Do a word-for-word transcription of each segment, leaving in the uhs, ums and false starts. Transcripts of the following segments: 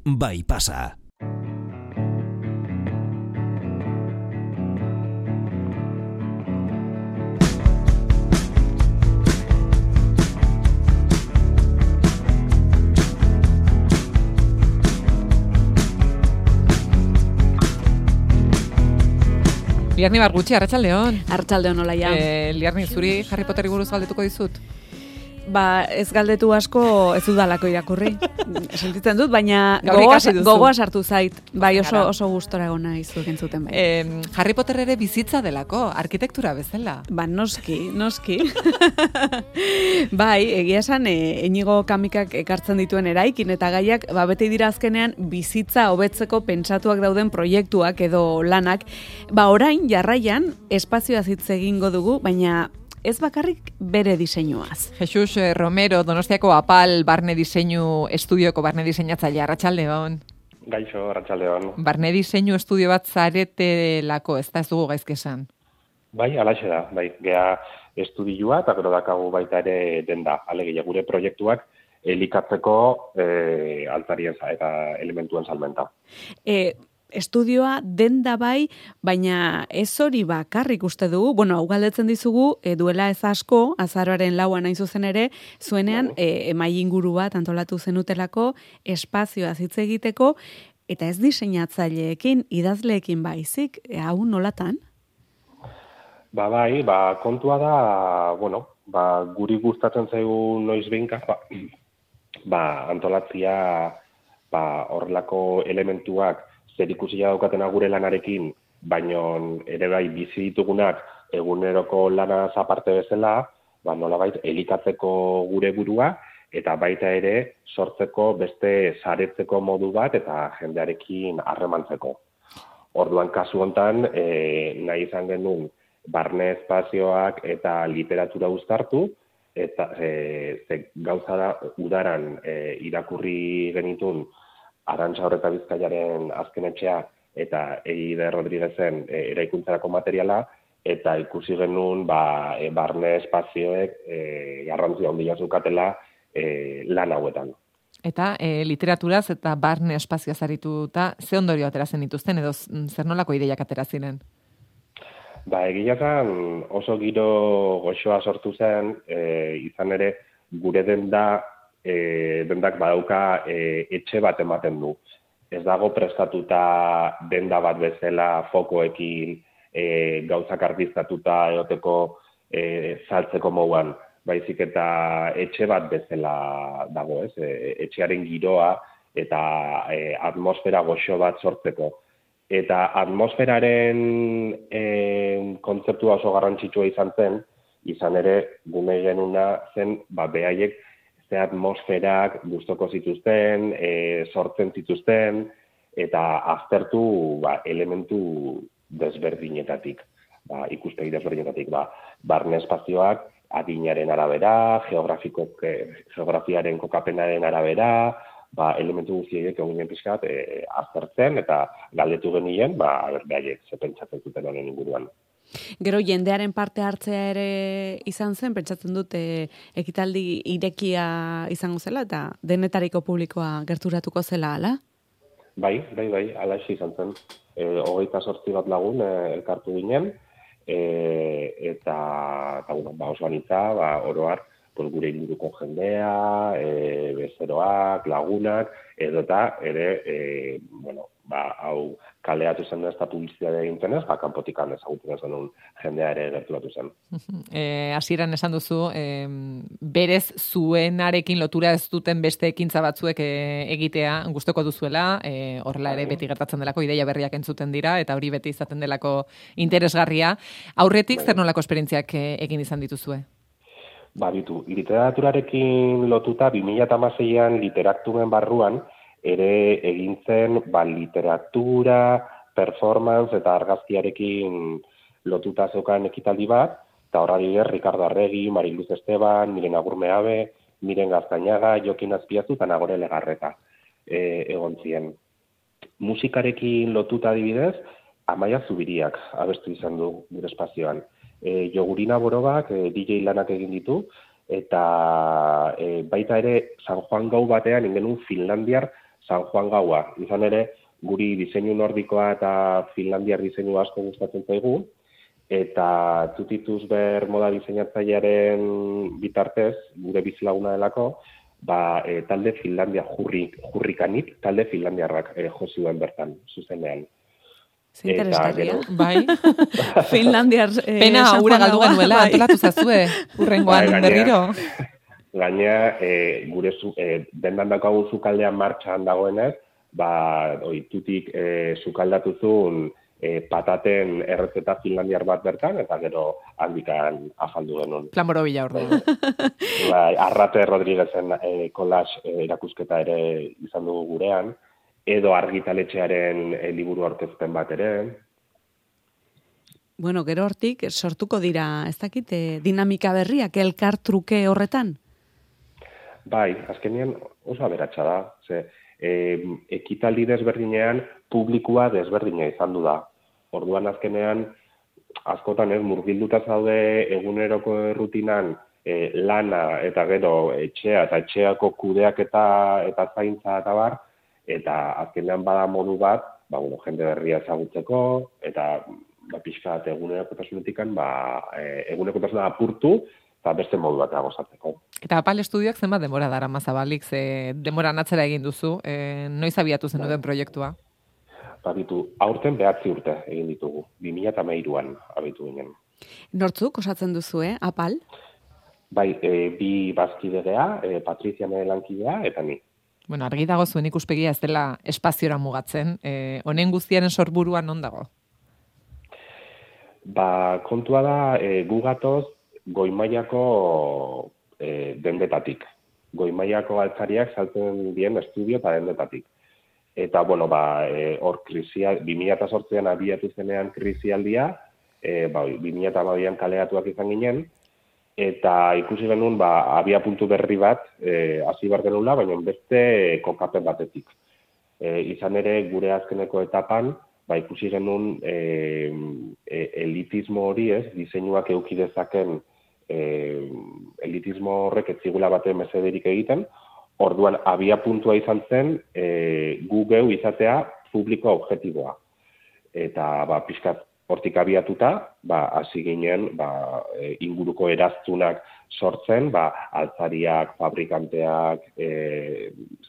bai pasa. Liarni Bargutxi, arratsaldeon. Arratsaldeon Olaia. Eh, Liarni, zuri Harry Potterri buruz galdetuko dizut? Ba, ez galdetu asko ez dudalako irakurri. Sentitzen dut, baina Gaur gogoa, ikasi duzu. gogoa sartu zait. Bai, oso, Gara. oso gustora gona izuek entzuten bai. Eh, Harry Potter ere bizitza delako, arkitektura bezala. Ba, noski, noski. Bai, egia esan, e, Inigo Kamikak ekartzen dituen eraikin eta gaiak, ba, beti dira azkenean bizitza hobetzeko pentsatuak dauden proiektuak edo lanak. Ba, orain, jarraian, espazioaz hitz egingo dugu, baina ez bakarrik bere diseinuaz. Jesus Romero, Donostiako Apal barne diseinu estudioko barne diseinatzaile, arratsaldeon. Gaixo, arratsaldeon. Barne diseinu estudio bat zaretelako, ez da ez dugu gaizke esan. Bai, alaxe da, bai, gea estudioa eta gero dakagu baita ere denda, alegia gure proiektuak elikatzeko e, altarien eta elementuen salmenta. E, Estudioa denda bai, baina ez hori bakarrik uste dugu, bueno, hau galdetzen dizugu, e, duela ez asko, azaroaren lauan hain zuzen ere, zuenean e, emai inguru bat antolatu zenutelako, espazioa hitz egiteko, eta ez diseinatzaileekin, idazleekin baizik, e, hau nolatan? Ba bai, ba kontua da, bueno, ba guri gustatzen zaigu noiz behinka, ba, ba antolatzia ba horrelako elementuak zerikusia daukatena gure lanarekin, baino ere bai bizi ditugunak eguneroko lanaz aparte bezala, ba nolabait elikatzeko gure burua eta baita ere sortzeko beste saretzeko modu bat eta jendearekin harremantzeko. Orduan kasu hontan, e, nahi izan genuen barne espazioak eta literatura uztartu, eta e, ze gauza da udaran e, irakurri genitun Arantxa Horreta Bizkaiaren azken etxea eta Eide Rodriguezen e, eraikuntzarako materiala, eta ikusi genuen ba, e, barne espazioek e, garrantzia handia zukatela e, lan hauetan. Eta e, literaturaz eta barne espazioaz arituta, ze ondorio atera zen dituzten, edo zer nolako ideiak atera ziren? Ba, egiakan oso giro goxoa sortu zen, e, izan ere gure denda E, dendak badauka e, etxe bat ematen du. Ez dago prestatuta denda bat bezala fokoekin e, gauzak argiztatuta egoteko e, saltzeko moduan, baizik eta etxe bat bezala dago, ez? E, etxearen giroa eta e, atmosfera goxo bat sortzeko. Eta atmosferaren e, kontzeptua oso garrantzitsua izan zen, izan ere gune genuna zen, ba, behaiek ze atmosferak gustoko zituzten, e, sortzen zituzten, eta aztertu ba, elementu desberdinetatik, ba, ikuspegi desberdinetatik, ba, barne espazioak adinaren arabera, geografiko, geografiaren kokapenaren arabera, ba, elementu guztiek eginen pixkat e, aztertzen, eta galdetu genien, ba, behaiek ze pentsatzen zuten honen inguruan. Gero jendearen parte hartzea ere izan zen, pentsatzen dut e, ekitaldi irekia izango zela eta denetariko publikoa gerturatuko zela, ala? Bai, bai, bai, ala izan zen. E, hogeita sortzi bat lagun e, elkartu ginen, e, eta, eta bueno, ba, oso anitza, ba, oroar, pues, gure inguruko jendea, e, bezeroak, lagunak, edo eta ere, e, bueno, ba, hau kaleatu zen ez da publizitatea egintzen ez, ba, kanpotikan ezagutzen zenun jendea ere gerturatu zen. E, hasieran esan duzu, e, berez zuenarekin lotura ez duten beste ekintza batzuek e, egitea gustoko duzuela, e, horrela ere beti gertatzen delako, ideia berriak entzuten dira, eta hori beti izaten delako interesgarria. Aurretik, zer nolako esperientziak e, egin izan dituzue? Ba, ditu, literaturarekin lotuta, bi mila hamaseian literaturen barruan, ere egintzen ba, literatura, performance eta argazkiarekin lotuta zeukan ekitaldi bat, eta horra dire, Ricardo Arregi, Mariluz Esteban, Miren Agurmeabe, Miren Gaztañaga, Jokin Azpiazu eta Nagore Legarreta e, egon ziren. Musikarekin lotuta adibidez, Amaia Zubiriak abestu izan du gure espazioan. E, Jogurina Borobak e, D J lanak egin ditu, eta e, baita ere San Juan gau batean ingenun Finlandiar San Juan gaua. Izan ere, guri diseinu nordikoa eta finlandiar diseinu asko gustatzen zaigu, eta tutituz ber moda diseinatzailearen bitartez, gure bizilaguna delako, ba, e, talde Finlandia jurrik, jurrikanit, talde Finlandiarrak e, jozioen bertan, zuzenean. Zinteresgarria. Bai. Finlandiar... Eh, Pena ura galdu genuela, bai. Antolatu zazue, urrengoan bai, berriro. Gainea, e, gure zu, e, dendan daukagu zukaldean martxan dagoenez, ba, oitutik e, zukaldatu zuen e, pataten errezeta finlandiar bat bertan, eta gero handikan afaldu genuen. Plan borobila hor. Bai, Arrate Rodriguezen e, kolas e, erakusketa ere izan dugu gurean, edo argitaletxearen e, liburu aurkezpen bat ere. Bueno, gero hortik sortuko dira, ez dakit, e, dinamika berriak, elkar truke horretan? Bai, azkenean oso aberatsa da. Ze, e, ekitaldi desberdinean publikoa desberdina izan du da. Orduan azkenean, askotan ez, murgilduta zaude eguneroko errutinan e, lana eta gero etxea eta etxeako kudeak eta, eta zaintza eta bar, eta azkenean bada modu bat, ba, bueno, jende berria ezagutzeko, eta ba, pixka bat egunerokotasunetik ba, e, egunerokotasuna apurtu, eta beste modu bat gozatzeko. Eta Apal Estudioak zenbat denbora dara mazabalik, ze denbora natzera egin duzu, e, noiz abiatu zen duten proiektua? Ba, bitu, aurten behatzi urte egin ditugu, bi mila hamairuan abitu ginen. Nortzuk osatzen duzu, eh, Apal? Bai, e, bi bazkidea, e, Patrizia nire lankidea, eta ni. Bueno, argi dago zuen ikuspegia ez dela espaziora mugatzen, e, honen guztiaren sorburuan non dago? Ba, kontua da, e, gu gatoz, goimaiako e, dendetatik. Goimaiako altzariak saltzen dien estudio eta dendetatik. Eta, bueno, ba, e, hor krisia, bi mila zortzian abiatu zenean krisialdia, e, ba, bi mila hamabian kaleatuak izan ginen, eta ikusi genuen, ba, abia puntu berri bat, e, hasi behar genuela, baina beste kokapen batetik. E, izan ere, gure azkeneko etapan, ba, ikusi genuen e, e, elitismo hori ez, diseinuak eduki dezaken e, elitismo horrek ez zigula baten mesederik egiten, orduan abia puntua izan zen e, gu geu izatea publiko objektiboa. Eta ba, pixkat hortik abiatuta, ba, hasi ginen ba, e, inguruko eraztunak sortzen, ba, altzariak, fabrikanteak, e,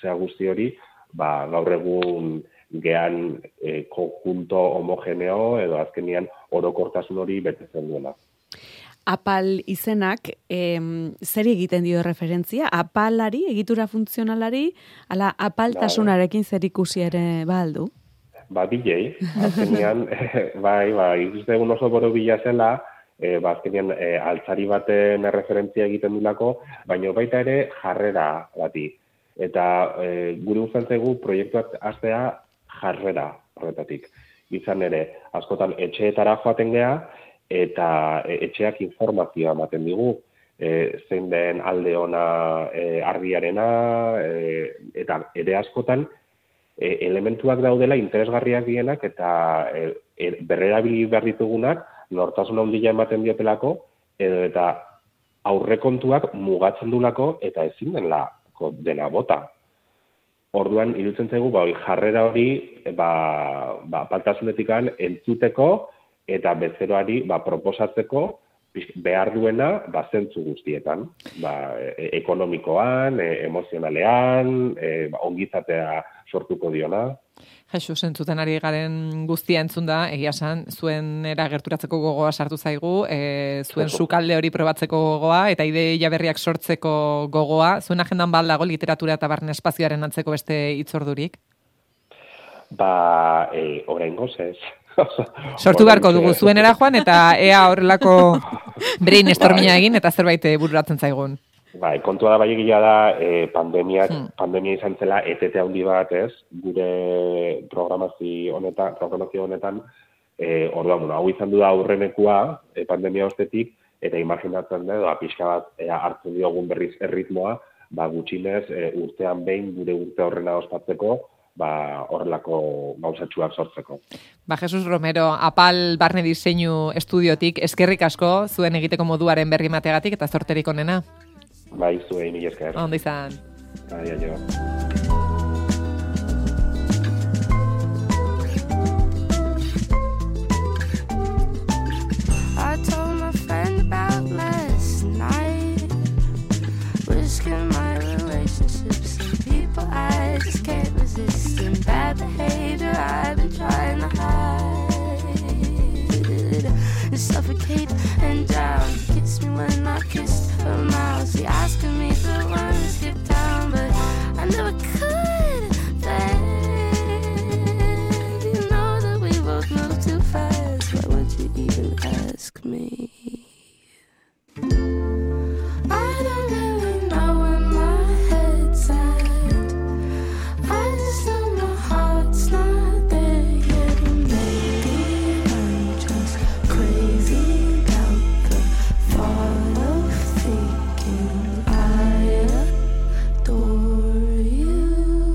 zea guzti hori, ba, gaur egun gehan e, konjunto homogeneo edo azkenian orokortasun hori betetzen duela. Apal izenak, em, zer egiten dio referentzia? Apalari, egitura funtzionalari, ala apaltasunarekin zer ikusi ere baldu? Ba, bilei, azkenian, bai, bai, ikustegun oso boro bila zela, e, ba, azkenian e, altzari baten referentzia egiten dulako, baina baita ere jarrera bati. Eta e, gure guztan zaigu proiektuak hastea jarrera horretatik. Izan ere, askotan etxeetara joaten gea, eta etxeak informazioa ematen digu, e, zein den alde ona e, argiarena, e, eta ere askotan e, elementuak daudela interesgarriak dienak, eta e, e, berrerabili behar ditugunak, nortasun handia ematen diotelako, edo eta aurrekontuak mugatzen dulako, eta ezin denla dena bota. Orduan, iruditzen zaigu, ba, jarrera hori, ba, ba, paltasunetikan entzuteko, eta bezeroari ba, proposatzeko behar duena ba, zentzu guztietan. Ba, e, ekonomikoan, e, emozionalean, e, ba, ongizatea sortuko diona. Jesus, entzuten ari garen guztia entzun da, egia esan, zuen era gerturatzeko gogoa sartu zaigu, e, zuen sukalde hori probatzeko gogoa, eta ideia berriak sortzeko gogoa. Zuen agendan baldago literatura eta barne espazioaren antzeko beste hitzordurik? Ba, e, oraingoz ez. Sortu beharko dugu zuenera joan, eta ea horrelako brainstorminga egin, eta zerbait bururatzen zaigun. Bai, kontua da bai egia da, eh, pandemiak, hmm. pandemia izan zela etete handi bat, ez? Gure programazio honetan, programazio honetan, eh, orduan, bueno, hau izan du da aurrenekua, eh, pandemia ostetik, eta imaginatzen da, da pixka bat eh, hartzen diogun berriz erritmoa, ba, gutxinez, eh, urtean behin gure urte horrena ospatzeko, ba, horrelako gauzatxuak sortzeko. Ba, Jesus Romero, Apal Barne Diseinu Estudiotik, eskerrik asko, zuen egiteko moduaren berri mateagatik, eta zorterik onena. Bai, zuei, mila esker. Ondo izan. Bai, aio.